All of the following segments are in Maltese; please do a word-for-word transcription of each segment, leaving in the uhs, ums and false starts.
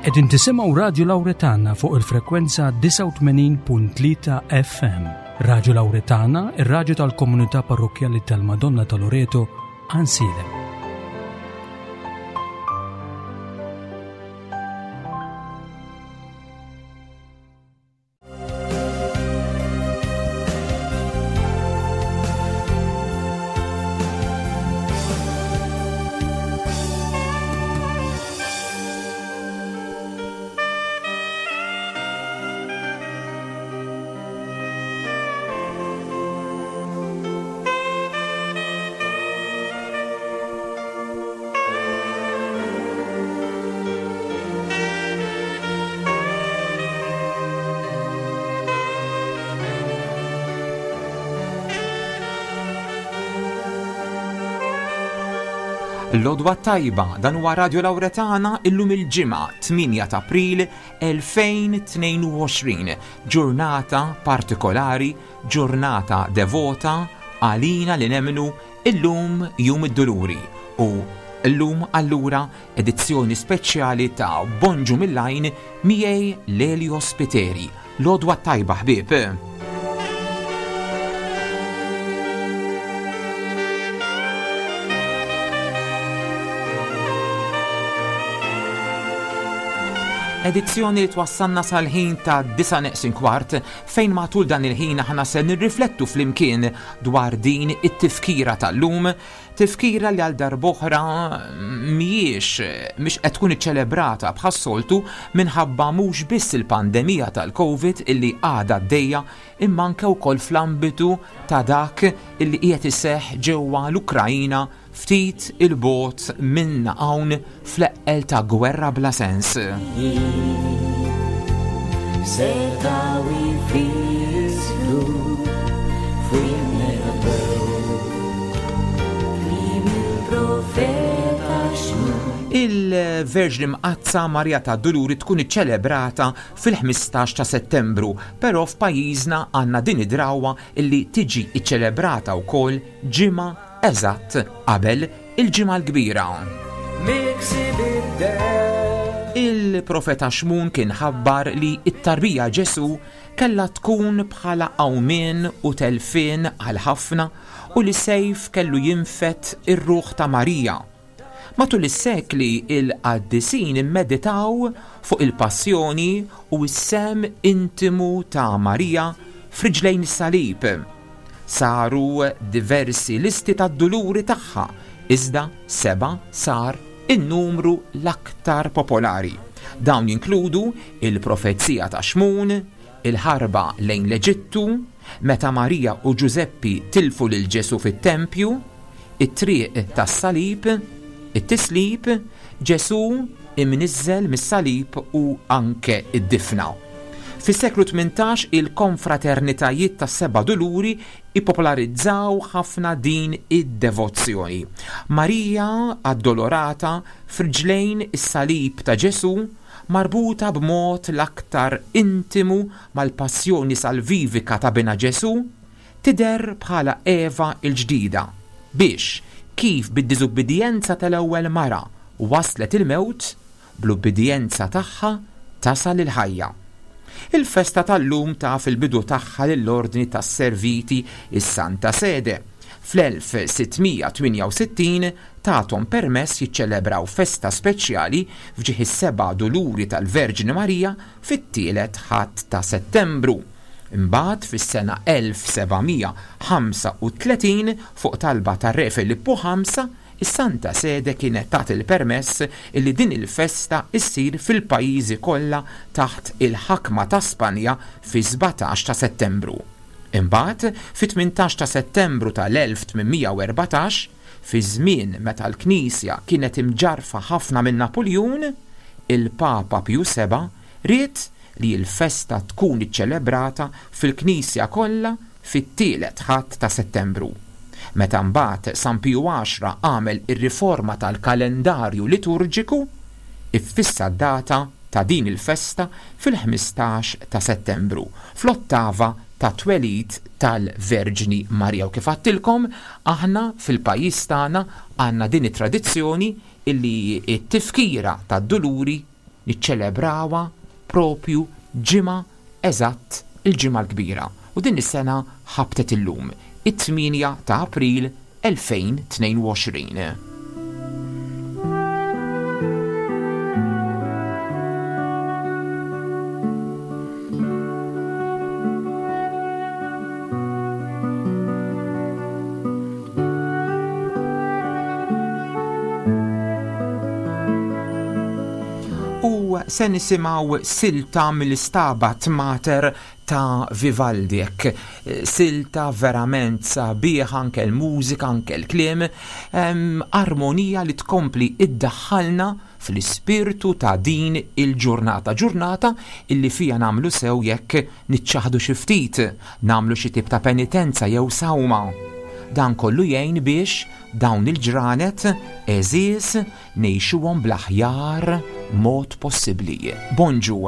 Qegħdin tisimgħu Radju Lawretana fuq il-frekwenza disgħa u tmenin punt tlieta F M. Radju Lawretana, ir-radju tal-komunità parrokkjali tal-Madonna ta' Loreto, Għajnsielem. L-għodwa t-tajba, dan huwa Radio Lawretana, illum il-Ġimgħa tmienja ta' April elfejn u tnejn u għoxrin, ġurnata partikolari, ġurnata devota għalina li nemmnu. Illum Jum id-Duluri u illum allura edizzjoni speċjali ta' Bonġu mill-Għajn miegħi Lelio Spiteri. L-għodwa t-tajba, ħbieb. Edizzjoni li twassalna sal-ħin ta' disa neqsin kwart, fejn matul dan il-ħin aħna se nirriflettu flimkien dwar din it-tifkira tal-lum, tifkira li għal darb'oħra mhijiex mhix qed tkun iċċelebrata bħas-soltu minħabba mhux biss il-pandemija tal-Covid illi għadha għaddejja, imma anke wkoll fl-ambitu ta' dak illi qiegħed iseħħ ġewwa l-Ukrajina, ftit 'il bogħod minna hawn, fl-eqqel ta' gwerra bla sens. Setgħu jfissru f'winnerbeu Kliem il-profeta Xmun. Il-Verġni Mqaddsa Marja ta' Duluri tkun iċċelebrata fil-ħmistax ta' Settembru, però f'pajjiżna għandna din id-drawwa illi tiġi iċċelebrata wkoll ġimgħa eżatt qabel il-Ġimgħa l-Kbira. Miksi bid-demm. Il-profeta Xmun kien ħabbar li it-tarbija Ġesu kella tkun bħala qawmien u telfien għal ħafna u li sejf kellu jinfed ir-ruħ ta' Marija. Matul is-sekli, il-qaddisin immeditaw fuq il-passjoni u s-sehem intimu ta' Marija f'riġlejn is-salib. Saru diversi listi ta' duluri tagħha, iżda seba' sar in-numru l-aktar popolari. Dawn jinkludu il-profezija ta' Xmun, il-ħarba lejn l-Eġittu, meta Marija u Ġużeppi tilfu lil Ġesu fit-tempju, it-triq tas-salib, it-tislib, Ġesu imniżżel mis-salib u anke id-difna. Fis-seklu tmintax, il-konfraternitajiet tas-seba' duluri ippopolarizzaw ħafna din id-devozzjoni. Marija Addolorata f'riġlejn is-salib ta' Ġesu, marbuta b'mod l-aktar intimu mal-passjoni salvivika ta' bina Ġesu, tidher bħala Eva il-ġdida biex kif bid-diżubbidjenza tal-ewwel mara waslet il-mewt, bl-ubbidjenza tagħha tasal il-ħajja. Il-festa tal-lum taf il-bidu tagħha lill-Ordni tas-Serviti is-Santa Sede. Fl-elf sitt mija tmienja u sittin tathom permess jiċċelebraw festa speċjali f'ġieħ is-seba' duluri tal-Verġni Marija fit-tielet Ħadd ta' Settembru. Imbagħad fis-sena elf seba' mija ħamsa u tletin, fuq talba tar-Re Filippu ħamsa, is-Santa Sede kienet tat il-permess illi din il-festa issir fil-pajjiżi kollha taħt il-ħakma ta' Spanja fi sbatax ta' Settembru. Imbagħad fit-tmintax ta' Settembru tal-elf tmien mija u erbatax, fi żmien meta l-Knisja kienet imġarfa ħafna minn Napoleon, il-Papa Pju Seba ried li l-festa tkun iċċelebrata fil-Knisja kollha fit-tielet Ħadd ta' Settembru. Meta mbagħad San Piju Għaxra għamel ir-riforma tal-kalendarju liturġiku, iffissa data ta' din il-festa fil-ħmistax ta' Settembru, fl-ottava ta' twelid tal-Verġni Marija. U kif għedtilkom, aħna fil-pajjiż tagħna għandna din it-tradizzjoni illi t-tifkira tad-duluri niċċelebrawha propju ġimgħa eżatt il-Ġimgħa l-Kbira. U din is-sena ħabtet illum, it-tmienja ta' April elfejn tnejn u għoxrin. Se nisimgħu silta mill-Stabat Mater ta' Vivaldi, hekk silta verament sabiħ, anke l-mużika, anke l-kliem, em, armonija li tkompli iddaħħalna fl-ispirtu ta' din il-ġurnata, ġurnata illi fija nagħmlu sew jekk niċċaħdu xi ftit, nagħmlu xi tip ta' penitenza jew sawma. Dan kollu jgħin biex dawn il-ġranet għeżież ngħixuhom bl-aħjar mod possibbli. Bonġu.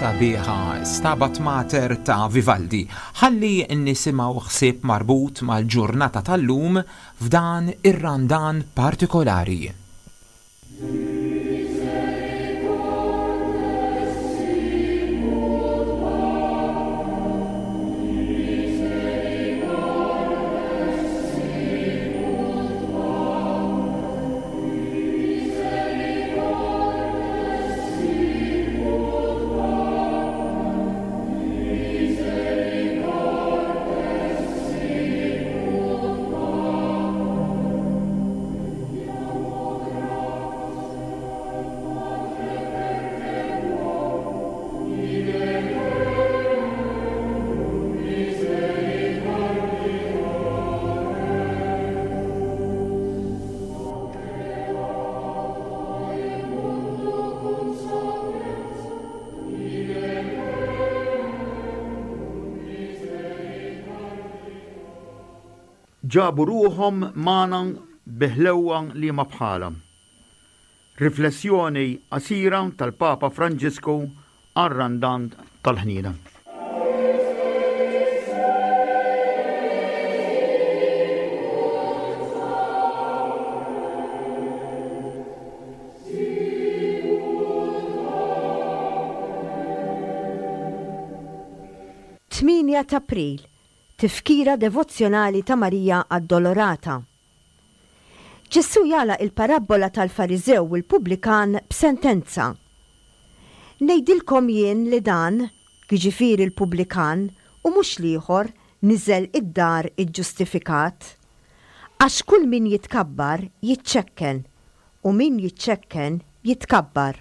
Sabiħa, Stabat Mater ta' Vivaldi. Ħalli nisimgħu ħsieb marbut mal-ġurnata tal-lum f'dan ir-randan partikolari. Ġabu ruħhom magħna biħlewwa li ma bħala. Riflessjoni qasira tal-Papa Franġisku għar-Randan tal-Ħniena. Tmienja t'April, Tifkira devozzjonali ta' Marija Addolorata. Ġesù jagħlaq il-parabbola tal-Fariżew u l-pubblikan b'sentenza. Ngħidilkom jien li dan, jiġifieri l-pubblikan, u mhux l-ieħor, niżel id-dar iġġustifikat. Għax kull min jitkabbar jiċċekken, u min jiċċekken jitkabbar.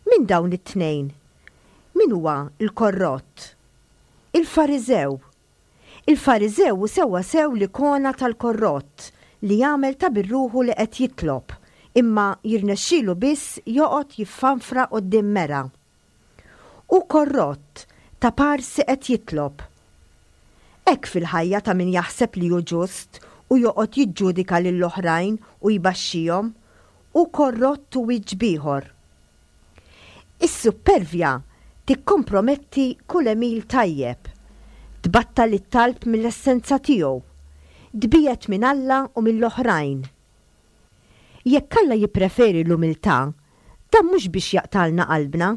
Min dawn it-tnejn? Min huwa l-korrott? Il-Fariżew. Il-Fariżew hu sewwasew l-ikona tal-korrott li jagħmel ta' bir-ruħu li qed jitlob, imma jirnexxielu biss joqgħod jiffanfra quddiem mera. Hu korrott, ta' parsi qed jitlob. Hekk fil-ħajja ta' min jaħseb li hu ġust u joqgħod jiġġudika lill-oħrajn u jbaxxihom, hu korrott u wiċċ b'ieħor. Is-suppervja tikkomprometti kull għemil tajjeb, tbattal it-talb mill-essenza tiegħu, tbiegħed minn Alla u mill-oħrajn. Jekk Alla jippreferi l-umiltà, dan mhux biex jaqtgħalna qalbna.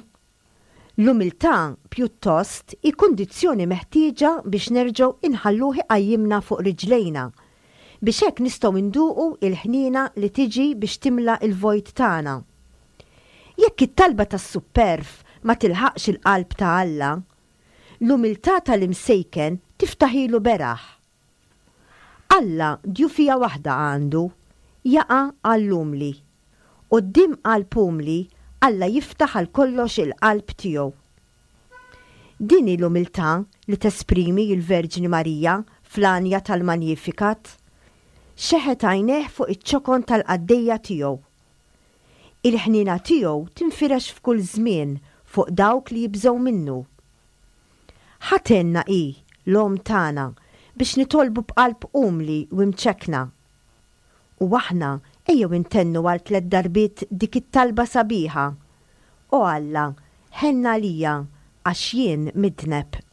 L-umiltà, pjuttost, hi kundizzjoni meħtieġa biex nerġgħu inħalluh iqajjimna fuq riġlejna, biex hekk nistgħu nduqu l-ħniena li tiġi biex timla l-vojt tagħna. Jekk it-talba tas-supperv ma tilħaqx il-qalb ta' Alla, l-umiltà tal-imsejken tiftaħilu beraħ. Alla djufija waħda għandu, jaqa' għall-umli. Quddiem qalb umli, Alla jiftaħ għal kollox il-qalb tiegħu. Din hi l-umiltà li tesprimi l-Verġni Marija fl-għanja tal-Magnificat. Xeħet għajnejh fuq iċ-ċokon tal-qaddejja tiegħu. Il-ħniena tiegħu tinfirex f'kull żmien fuq dawk li jibżgħu minnu. Ħa tgħinna hi, l-Omm tagħna, biex nitolbu b'qalb umli u mċekkna. U aħna ejjew intennu għal tliet darbiet dik it-talba sabiħa. O Alla, ħenn għalija għax jien midneb.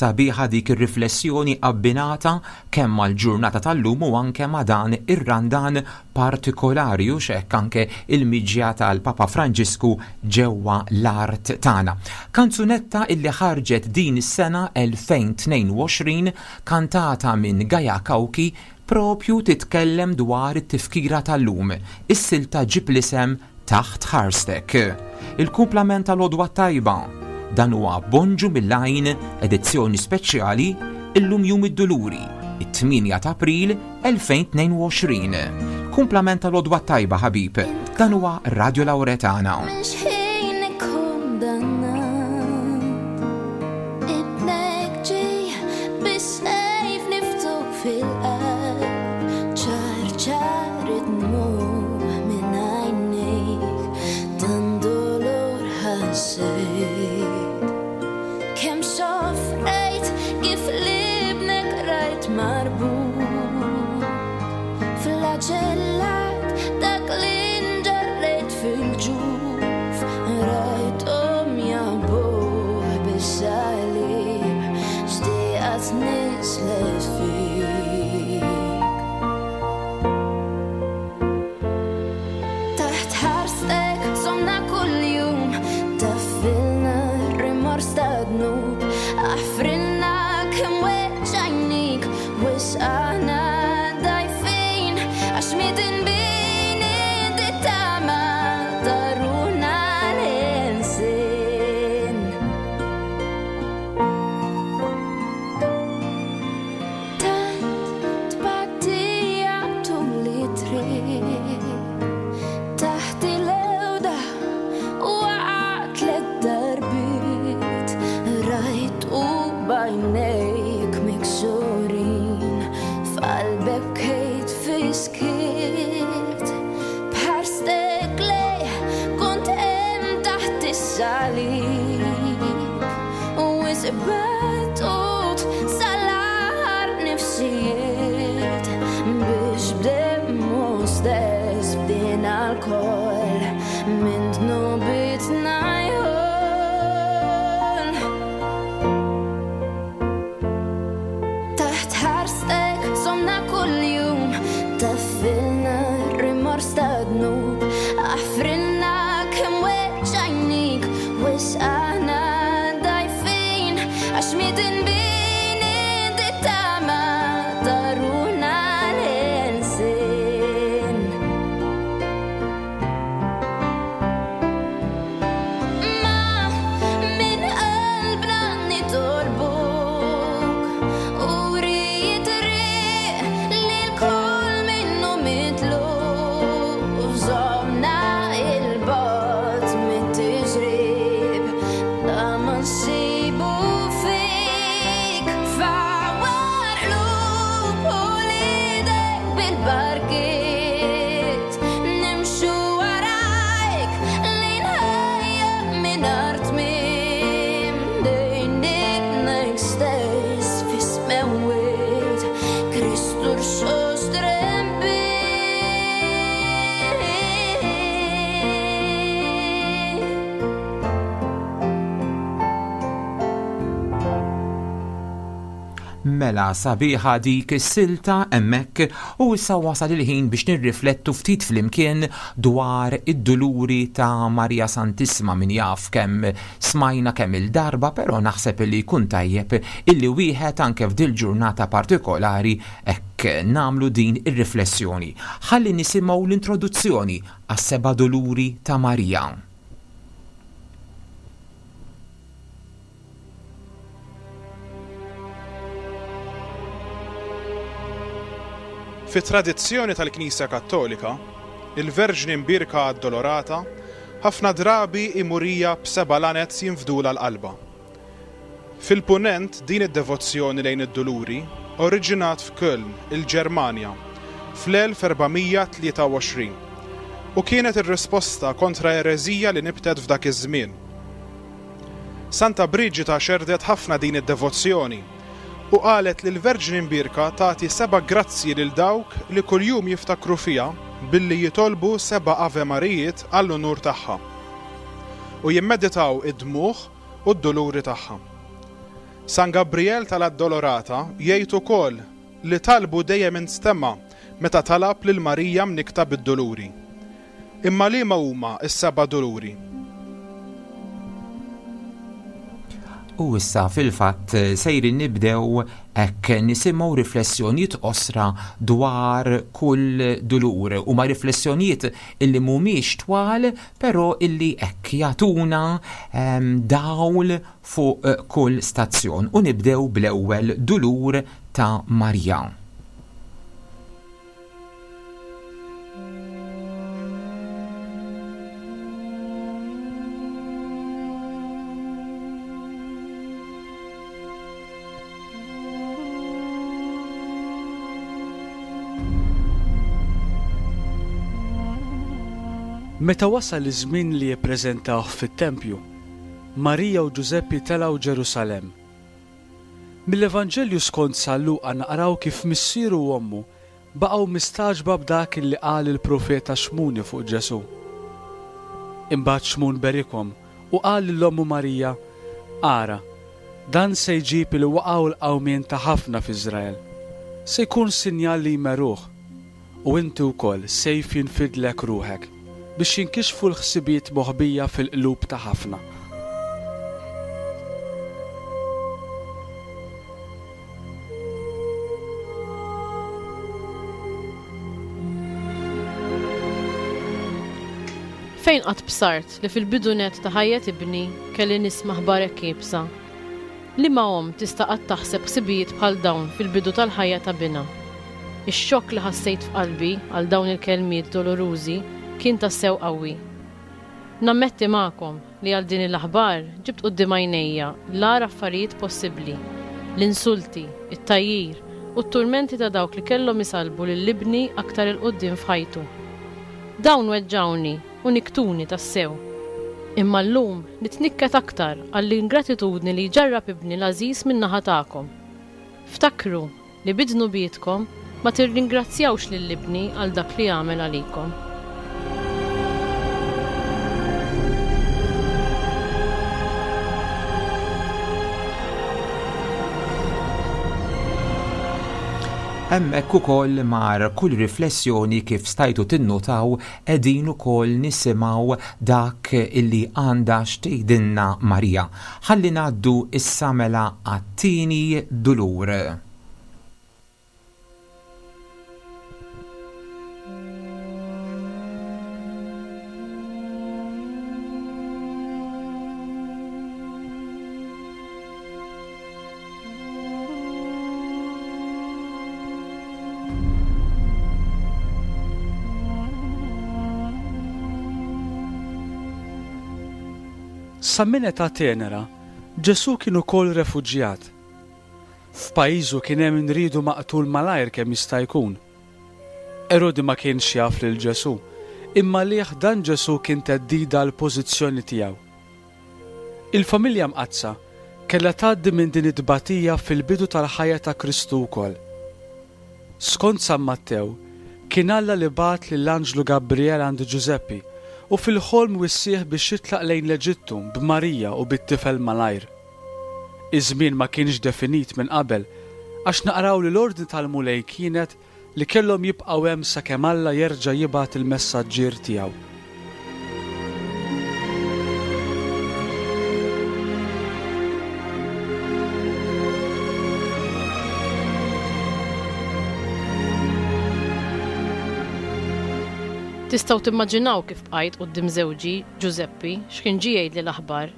Sabiħa dik ir-riflessjoni abbinata kemm mal-ġurnata tal-lum u anke ma' dan ir-Randan partikolari u x'hekk anke il-miġja tal-Papa Franġisku ġewwa l-art tagħna. Kanzunetta illi ħarġet din is-sena elfejn tnejn u għoxrin, kantata minn Gaia Cauchi, propju titkellem dwar it-tifkira tal-lum. Is-silta ġib l-isem Taħt Ħarstek. Il-kumplament tal-Għodwa Tajba. Dan huwa Bonġu mill-Għajn, edizzjoni speċjali, illum Jum id-Duluri, it-tmienja ta' April elfejn tnejn u għoxrin. Kumplament tal-Għodwa Tajba, ħabib. Dan huwa Radio Lauretana. Minn xħin ikkundannat, ibnek ġej bis-sejf niftuk fil-qalb, ċar ċar id-dmugħ minn għajnejk, dan dolor ħassejt. Kemm soffrejt kif libnek rajt marbut, flagellat dak li nġarrejt fil-ġuf, rajthom jabuh bis-salib, xtieqat nislet fik. Taħt ħarstek somna kuljum, taffilna rimors ta' dnub, aħfrilna kemm weġġajnik, wisqana dajfin, għax midinbin inti tama Fis-skiet b'ħarstek lej kont hemm taħt is-salib u isbatut sal-aħħar nifsijiet biex b'demmu stess bdejna lkoll minn dnubitna jħoll. Taħt ħarstek somna kuljum, taffilna rimors ta' dnub, aħfrilna kemm weġġajnik, wisqana dajfin, għax midinbin inti tama ta' ruħna l-ħelsien. Ma minn qalbna nitolbuk u rrid triq lil kull minnu mitluf, żommna il-bogħod mit-tiġrib ta' ma nsibu fik. Fawwar qlub uliedek bil-barkiet, nimxu warajk lejn ħajja mingħajr tmiem, lejn ibnek stess fis-smewwiet, Kristu rxoxt rembiet. Mela sabiħa dik is-silta hemmhekk u issa wasal il-ħin biex nirriflettu ftit flimkien dwar id-duluri ta' Marija Santissima. Min jaf kemm smajna kemm il-darba, però naħseb li jkun tajjeb illi wieħed anke f'dil ġurnata partikolari hekk nagħmlu din ir-riflessjoni. Ħalli nisimgħu l-introduzzjoni għas-seba' duluri ta' Marija. Fit-tradizzjoni tal-Knisja Kattolika, il-Verġni Mbierka Addolorata ħafna drabi imurija b'seba' lanez jinfdula l-qalba. Fil-punent din id-devozzjoni lejn id-duluri oriġinat f'Köln, il-Ġermanja, fl-elf erbamija tlieta u għoxrin u kienet ir-risposta kontra ereżija li nibtet f'dak iż-żmien. Santa Briġita xerdet ħafna din id-devozzjoni u qalet li l-Verġni Mbierka tagħti seba' grazzji lil dawk li kuljum jiftakru fiha billi jitolbu seba' Ave Marijiet għall-unur tagħha u jimmeditaw id-dmuħ u d-duluri tagħha. San Gabriel tal-Addolorata jgħid ukoll li talbu dejjem instema' meta talab lil Marija mnikta bid-duluri. Imma liema huma s-seba' duluri? U issa fil-fatt sejrin nibdew hekk nisimgħu riflessjonijiet qosra dwar kull dulur. Huma riflessjonijiet illi mhumiex twal, però illi hekk jagħtuna, ehm, dawl fuq kull stazzjon. U nibdew bl-ewwel dulur ta' Marija. Meta wasal iż-żmien li jippreżentawh fit-tempju, Marija u Ġużeppi telgħu Ġerusalemm. Mill-Evanġelju skont San Luqa naqraw kif missieru u ommu baqgħu mistagħġba b'dak li qal il-profeta Xmuni fuq Ġesù. Imbagħad Xmun berikhom u qal lil ommu Marija, Ara, dan se jġib il-waqgħa u l-qawmien ta' ħafna f'Iżrael. Se jkun sinjal li jmeruh, u inti wkoll sejf jinfidlek ruħek biex jinkixfu l-ħsibijiet moħbija fil-qlub ta' ħafna. Fejn qatt bsart li fil-bidu net ta' ħajja tibni kelli nisma' ħbarek iebsa? Liema omm tista' qatt taħseb ħsibijiet bħal dawn fil-bidu tal-ħajja ta' binha? Ix-xokk li ħassejt f'qalbi għal dawn il-kelmiet dolorużi kien tassew qawwi. Nammetti magħkom li għal din l-aħbar ġibt quddiem għajnejja l-agħar affarijiet possibbli, l-insulti, it-tgħajjir u t-turmenti ta' dawk li kellhom isallbu lil ibni aktar 'il quddiem f'ħajtu. Dawn weġġgħuni u nikktuni tassew. Imma llum nitnikket aktar għall-ingratitudni li jġarrab ibni l-għażiż min-naħa tagħkom. Ftakru li bi dnubietkom ma tirringrazzjawx lil ibni għal dak li għamel għalikom. Hemmhekk ukoll mar kull riflessjoni kif stajtu tinnutaw qegħdin ukoll nisimgħu dak illi għandha x'tgħidilna Marija. Ħalli ngħaddu issa mela għat-tieni dulur. Sa minn età tenera, Ġesù kien ukoll refuġjat. F'pajjiżu kien hemm min riedu maqtul malajr kemm jista' jkun. Erodi ma kienx jaf lil Ġesù, imma għalih dan Ġesù kien theddida għall-pożizzjoni tiegħu. Il-familja mqaddsa kellha tgħaddi minn din it-tbatija fil-bidu tal-ħajja ta' Kristu wkoll. Skont San Mattew, kien Alla li bagħat lill-anġlu Gabriel għand Ġużeppi u fil-ħolm wissieh biex jitlaq lejn l-Eġittu b'Marija u bit-tifel malajr. Iż-żmien ma kienx definit minn qabel, għax naqraw li l-ordni tal-Mulej kienet li kellhom jibqgħu hemm sakemm Alla jerġa' jibgħat il-messaġġier tiegħu. Tistgħu timmaġinaw kif bqajt quddiem żewġi, Ġużeppi, x'kien ġie jgħidli l-aħbar.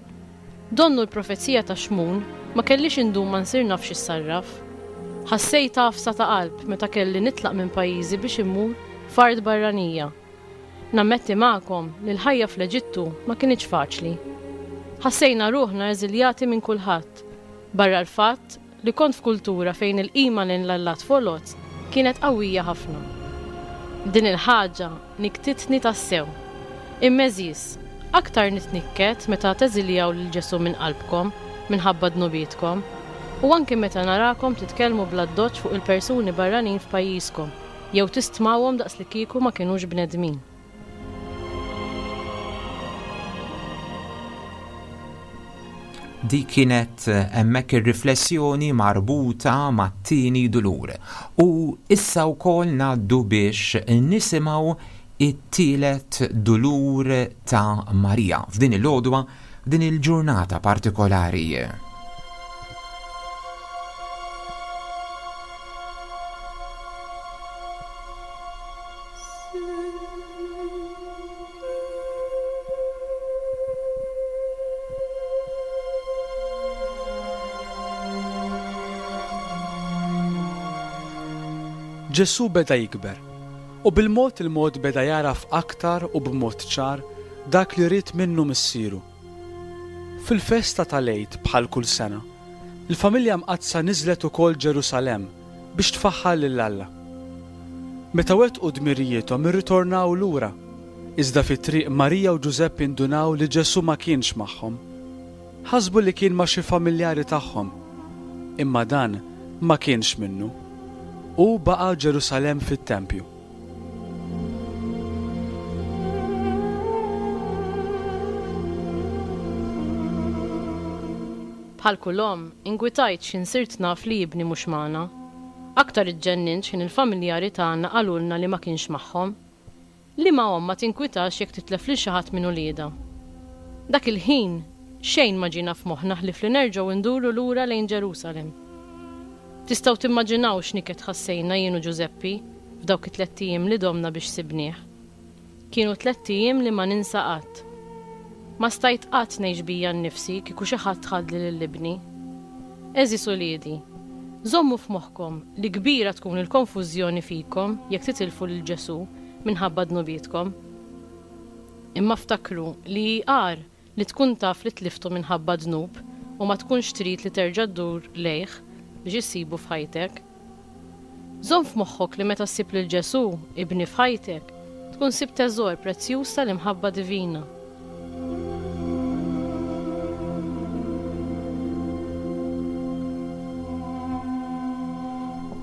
Donnu l-profezija ta' Xmun ma kellix indum ma nsir naf x'issarraf. Ħassejt għafsa ta' qalb meta kelli nitlaq minn pajjiżi biex immur f'art barranija. Nammetti magħkom li l-ħajja fl-Eġittu ma kinitx faċli. Ħassejna ruħna eżiljati minn kulħadd, barra l-fatt li kont f'kultura fejn il-qima lejn l-allat foloz kienet qawwija ħafna. Din il-ħaġa nikktitni tassew. Imma għeżież, aktar nitnikket meta teżiljaw lil Ġesù minn qalbkom minħabba dnubietkom, u anki meta narakom titkellmu bl-addoċċ fuq il-persuni barranin f'pajjiżkom jew tistmawhom daqslikieku ma kinux bnedmin. Dik kienet hemmhekk ir-riflessjoni marbuta mat-tieni dulur. U issa wkoll ngħaddu biex nisimgħu it-tielet dulur ta' Marija f'din il-għodwa, f'din il-ġurnata partikolari. Ġesù beda jikber, u bil-mod il-mod beda jagħraf aktar u b'mod ċar dak li ried minnu missieru. Fil-festa tal-Għid bħal kull sena, il-familja mqaddsa niżlet ukoll Ġerusalemm biex tfaħħar lil Alla. Meta wettqu dmirijiethom irritornaw lura, iżda fit-triq Marija u Ġużeppi ndunaw li Ġesù ma kienx magħhom. Ħasbu li kien ma' xi familjari tagħhom, imma dan ma kienx minnu. Hu baqa' Ġerusalemm fit-tempju. Bħal kull omm, ingwitajt x'ħin sirt naf li ibni mhux magħna. Aktar iġġennint x'ħin il-familjari tagħna qalulna li ma kienx magħhom. Liema omm ma tinkwitax jekk titlef lil xi ħadd minn uliedha? Dak il-ħin, xejn ma ġiena f'moħħna ħlief li nerġgħu nduru lura lejn Ġerusalemm. Tistgħu timmaġinaw x'niket ħassejna jien u Ġużeppi f'dawk it-tlett ijiem li domna biex sibnieh. Kienu tlett ijiem li ma ninsa qatt. Ma stajt qatt ngħix bija nnifsi kieku xi ħadd ħadli lil ibni. Għeżież uliedi, żommu f'moħħkom li kbira tkun il-konfużjoni fikom jekk titilfu lil Ġesù minħabba dnubietkom. Imma ftakru li hi agħar li tkun taf li tliftu minħabba dnub u ma tkunx trid li terġa' ddur lejh biex issibu f'ħajtek. Żomm f'moħħok li meta ssib lil Ġesù, ibni f'ħajtek, tkun sibt teżor prezzjuż tal-imħabba divina.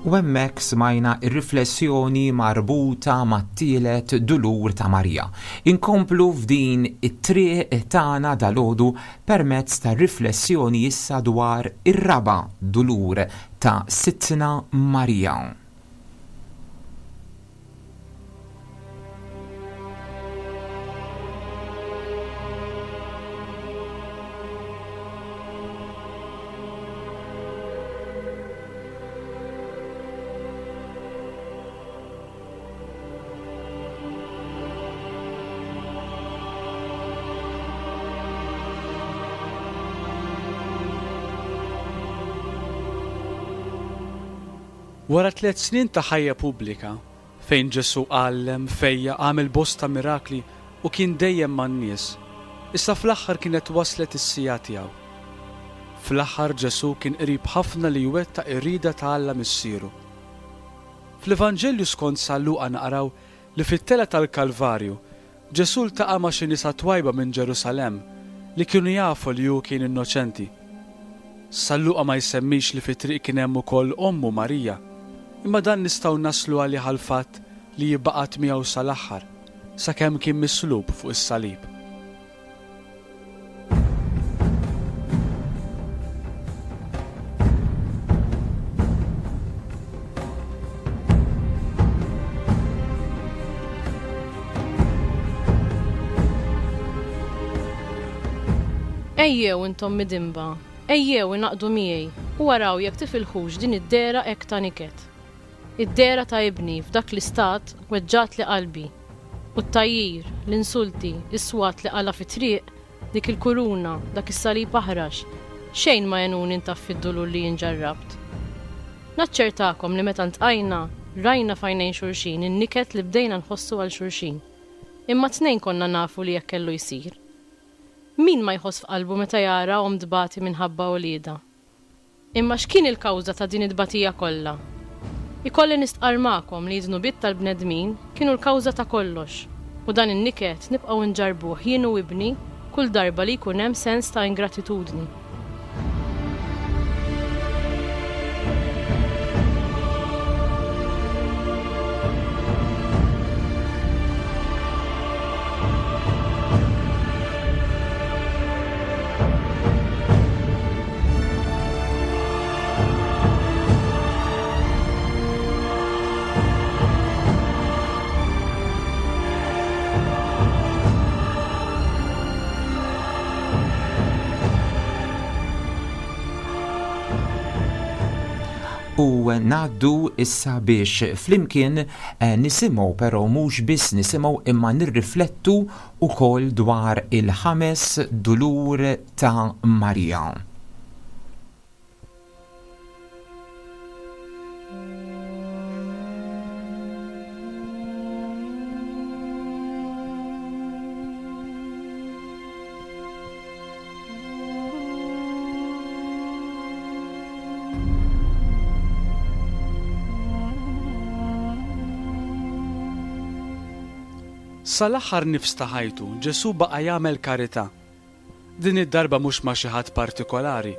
U hemmhekk smajna r-riflessjoni marbuta mat-tielet dulur ta' Marija. Inkomplu f'din it-triq tagħna dalgħodu permezz ta' riflessjoni issa dwar ir-raba' dulur ta' Sidtna Marija. Wara tliet snin ta' ħajja pubblika, fejn Ġesù għallem, fejjaq, għamel bosta mirakli u kien dejjem man-nies, issa fl-aħħar kienet waslet is-siegħa tiegħu. Fl-aħħar Ġesù kien qrib ħafna li jwettaq ir-rieda ta' Alla Missieru. Fl-Evanġelju skont San Luqa naqraw li fit-telgħa tal-Kalvarju, Ġesù ltaqa' ma' xi nisa twajba minn Ġerusalemm li kienu jafu li hu kien innoċenti. San Luqa ma jsemmix li fit-triq kien hemm ukoll ommu Marija, imma dan nistgħu naslu għalih għall-fatt li hi baqgħet miegħu sal-aħħar, sakemm kien mislub fuq is-salib. Ejjew intom midinba, ejjew ingħaqdu miegħi u araw jekk tifilħux din id-dehra hekk ta' niket. Id-dehra ta' ibni f'dak l-istat weġġatli qalbi. U t-tgħajjir, l-insulti, is-swat li qala' fit-triq, dik il-kuruna, dak is-salib aħrax, xejn ma għenuni ntaffi d-dulur li jien ġarrabt. Naċċertakom li meta ntqajna, rajna f'għajnejn xulxin in-niket li bdejna nħossu għal xulxin. Imma tnejn konna nafu li hekk kellu jsir. Min ma jħoss f'qalbu meta jara omm tbati minħabba uliedha? Imma x'kien il-kawża ta' din it-tbatija kollha? Ikolli nistqarr magħkom li d-dnubiet tal-bnedmin kienu l-kawża ta' kollox, u dan in-niket nibqgħu nġarrbuh jien u ibni kull darba li jkun hemm sens ta' ingratitudni. U ngħaddu issa biex flimkien, eh, nisimgħu, però mhux biss nisimgħu imma nirriflettu wkoll dwar il-ħames dulur ta' Marija. Sal-aħħar nifs ta' ħajtu, Ġesù baqa' jagħmel karità. Din id-darba mhux ma' xi ħadd partikolari,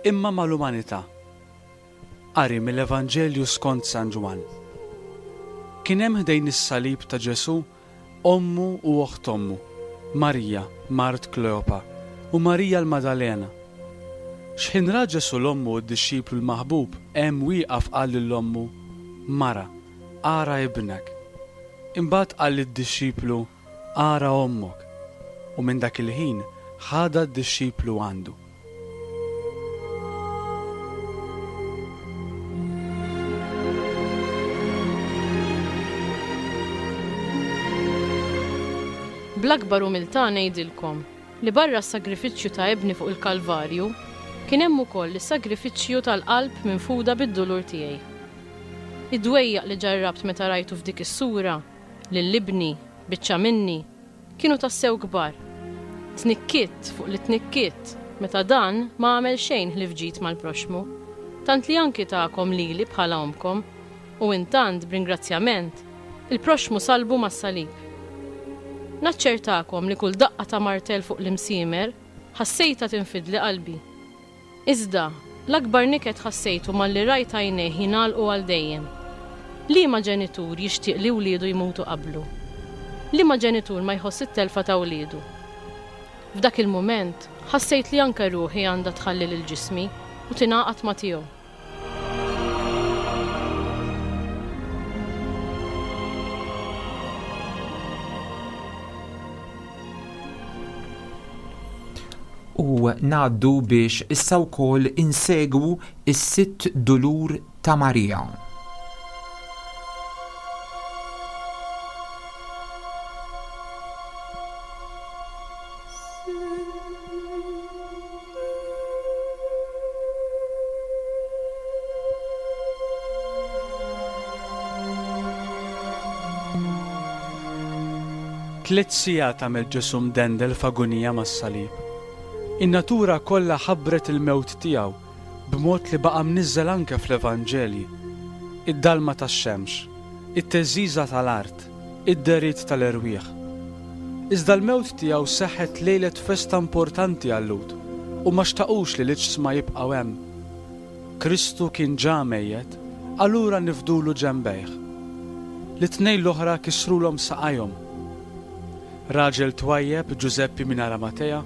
imma mal-umanità. Qari mill-Evanġelju skont San Ġwann. Kien hemm ħdejn is-salib ta' Ġesù ommu u oħt ommu, Marija, mart Kleopa, u Marija l-Madalena. X'ħin ra Ġesù l-ommu u d-dixxiplu l-maħbub hemm wieqaf qal lil ommu, Mara, ara ibnek. Imbagħad qal lid-dixxiplu, Ara ommok. U minn dak il-ħin ħadha d-dixxiplu għandu. Bl-akbar umiltà ngħidilkom li barra s-sagrifiċċju ta' ibni fuq il-Kalvarju kien hemm ukoll is-sagrifiċċju tal-qalb minfuda bid-dulur tiegħi. Id-dwejjaq li ġarrabt meta rajtu f'dik is-sura lil ibni biċċa minni kienu tassew kbar. Tnikkitt fuq li tnikkitt meta dan ma għamel xejn ħlief ġid mal-proxmu, tant li anki tagħkom lili bħala omkom. U intant, b'ringrazzjament, il-proxxmu salbu mas-salib. Naċċertakom li kull daqqa ta' martell fuq l-imsiemer ħassejtha tinfidli qalbi. Iżda, l-akbar niket ħassejtu malli rajt għajnejh jingħalqu għal dejjem. Liema ġenitur jixtieq li wliedu jmutu qablu? Liema ġenitur ma jħoss it-telfa ta' wliedu? F'dak il-mument, ħassejt li anke ruħi għandha tħalli lil ġismi u tingħaqad ma' tiegħu. U ngħaddu biex issa wkoll insegwu is-sitt dulur ta' Marija. Tliet sigħat għamel Ġesù mdendel f'agunija mas-salib. In-natura kollha ħabbret il-mewt tiegħu b'mod li baqa' mniżżel anke fl-Evanġelji. Id-dalma tax-xemx, it-theżżiża tal-art, id-dehriet tal-erwieħ. Iżda l-mewt tiegħu seħħet lejlet festa importanti għal-Lhud u ma xtaqux li l-iġsma jibqgħu hemm. Kristu kien ġa mejjet, allura nifdulu ġenbejh. L-tnejn l-oħra kisrulhom saqajhom. Raġel twajjeb, Ġużeppi minn Aramatea,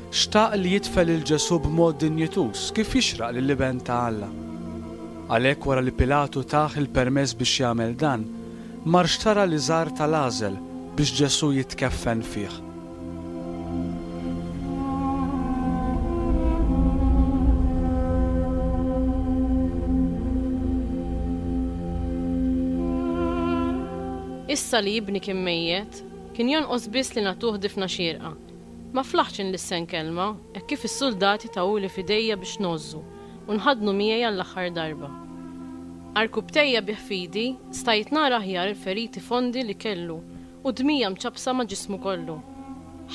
xtaq li jidfen lil Ġesù b'mod dinjituż kif jixraq lill-Iben ta' Alla. Għalhekk wara li Pilatu tah il-permess biex jagħmel dan, mar xtara l-iżar tal-għażel biex Ġesù jitkeffen fih. Issa li ibni kien mejjet, kien jonqos biss li nagħtuh difna xierqa. Ma flaħtx inlissen kelma, hekk kif is-suldati tawuli f'idejja biex ngħożżu u nħadnu miegħi għall-aħħar darba. Għarkupptejja bih f'idi, stajt nara aħjar il-feriti fondi li kellu u dmija mċappsa ma' ġismu kollu.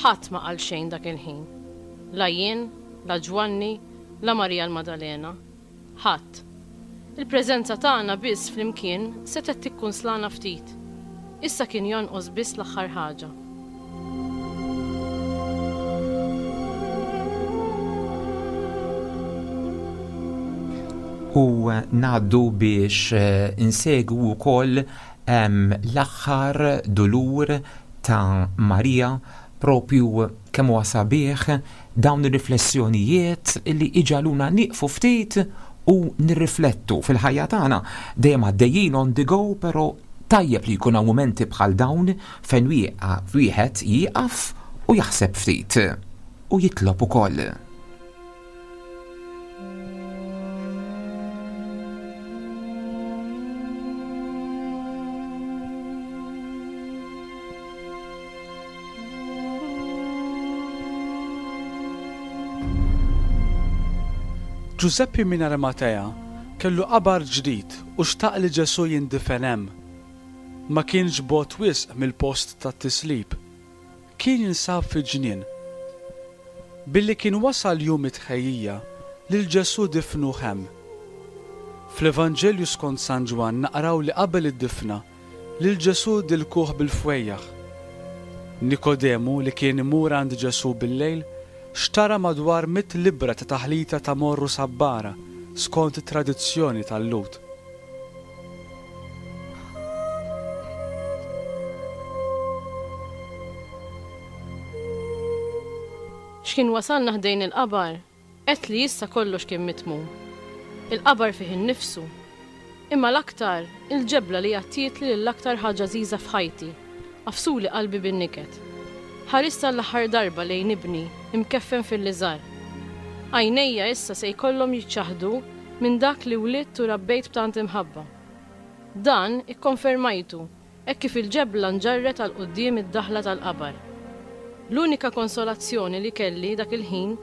Ħadd ma qal xejn dak il-ħin. La jien, la Ġwanni, la Marija l-Madalena. Ħadd. Il-preżenza tagħna biss flimkien setgħet tikkunslana ftit. Issa kien jonqos biss l-aħħar ħaġa. U ngħaddu biex insegwu wkoll l-aħħar dulur ta' Marija, propju kemm huwa sabiħ dawn ir-riflessjonijiet li iġaluna nieqfu ftit u nirriflettu fil-ħajja tagħna. Dejjem għaddejjin on the go, però tajjeb li jkun hawn mumenti bħal dawn fejn wieħed jieqaf u jaħseb ftit u jitlob ukoll. Ġużeppi minn Arimatea kellu qabar ġdid u xtaq li Ġesù jindifen hemm. Ma kienx bogħod wisq mill-post tat-tislib. Kien jinsab fi ġnien. Billi kien wasal jum it-tħejjija, lil Ġesù difnuh hemm. Fl-Evanġelju skont San Ġwann naqraw li qabel id-difna, lil Ġesù dilkuh bil-fwejjaħ. Nikodemu, li kien imur għand Ġesù bil-lejl, xtara madwar mitt libra ta' taħlita ta' morru sabbara skont it-tradizzjoni tal-Lhud. X'kien wasalna ħdejn il-qabar, għedt li issa kollox kien mitmum. Il-qabar fih innifsu. Imma l-aktar, il-ġebla li għattietli lill-aktar ħaġa għażiża f'ħajti, għafsuli qalbi bin-niket. Ħarist għall-aħħar darba lejn ibni, imkeffen fil-liżar. Għajnejja issa se jkollhom jiċċaħdu minn dak li wlidt u rabbejt b'tant imħabba. Dan ikkonfermajtu hekk kif il-ġebla nġarret għal quddiem id-daħla tal-qabar. L-unika konsolazzjoni li kelli dak il-ħin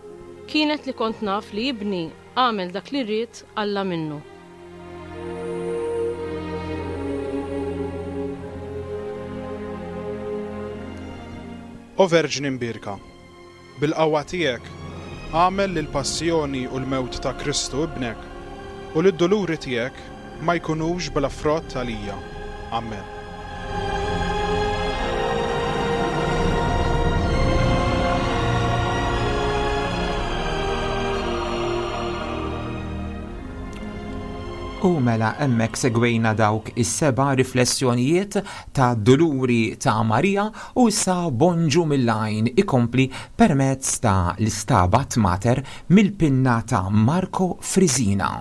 kienet li kont naf li ibni għamel dak li ried Alla minnu. O Verġni Mbierka, bil-qawwa tiegħek għamel li l-passjoni u l-mewt ta' Kristu ibnek u li d-duluri tiegħek ma jkunux bla frott għalija. Amen. U mela hemmhekk segwejna dawk is-seba' riflessjonijiet ta' Duluri ta' Marija u issa Bonġu mill-Għajn ikompli permezz ta' l-Istabat Mater mill-pinna ta' Marco Frisina.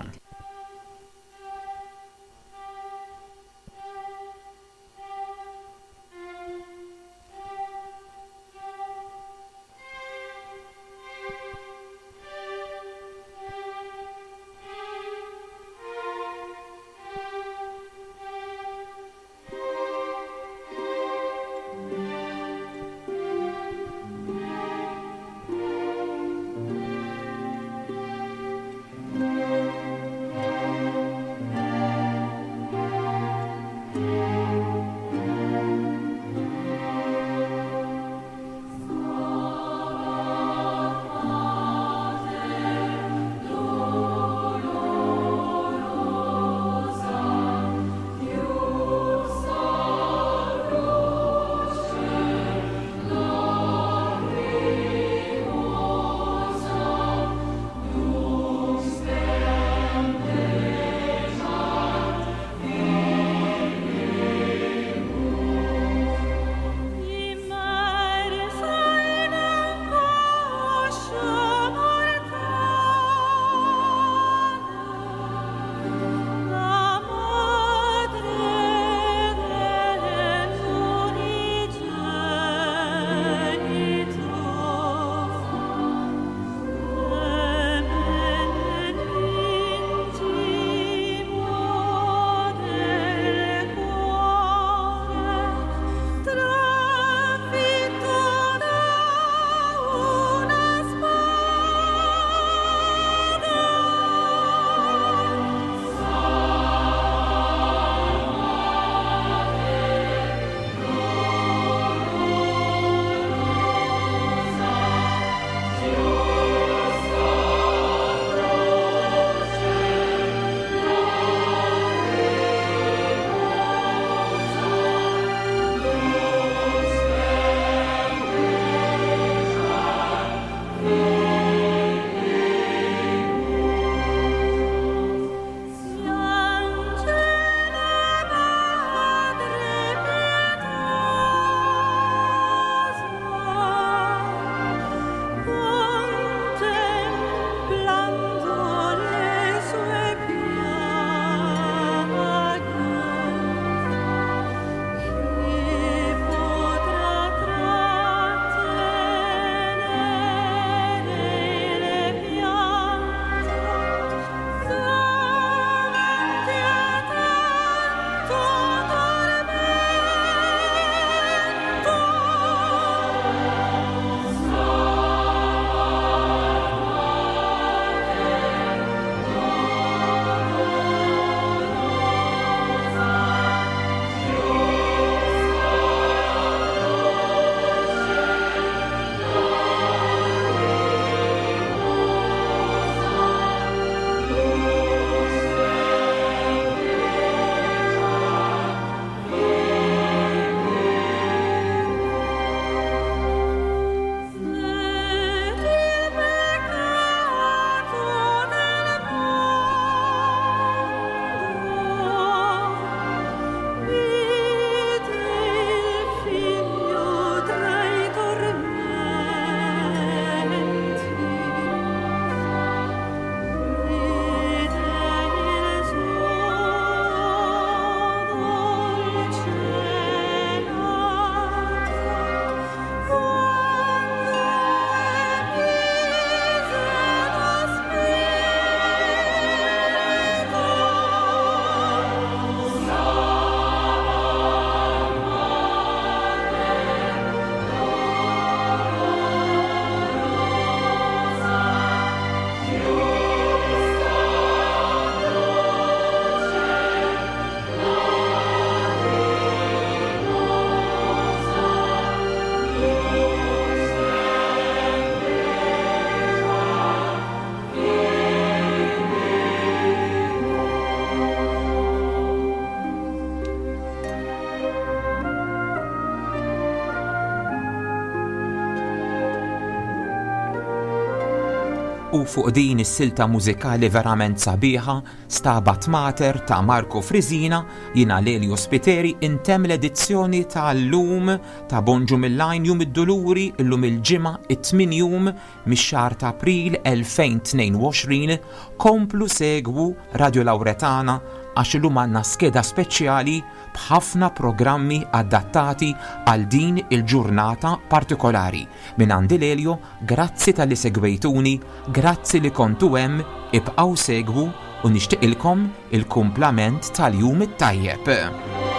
U fuq din is-silta mużikali verament sabiħa, Stabat Mater ta' Marco Frisina, jiena Lelio Spiteri intemm l-edizzjoni tal-lum ta' Bonġu mill-Għajn Jum id-Duluri illum il-Ġimgħa it-tmien jum mix-xahar ta' April elfejn tnejn u għoxrin. Komplu segwu Radio Lauretana għax illum għandna skeda speċjali b'ħafna programmi adattati għal din il-ġurnata partikolari. Min għandi Lelio, grazzi tal-li segwejtuni, grazzi li kontu hemm, ibqgħu segwu u nixtieqilkom il-kumplament tal-jum it-tajjeb.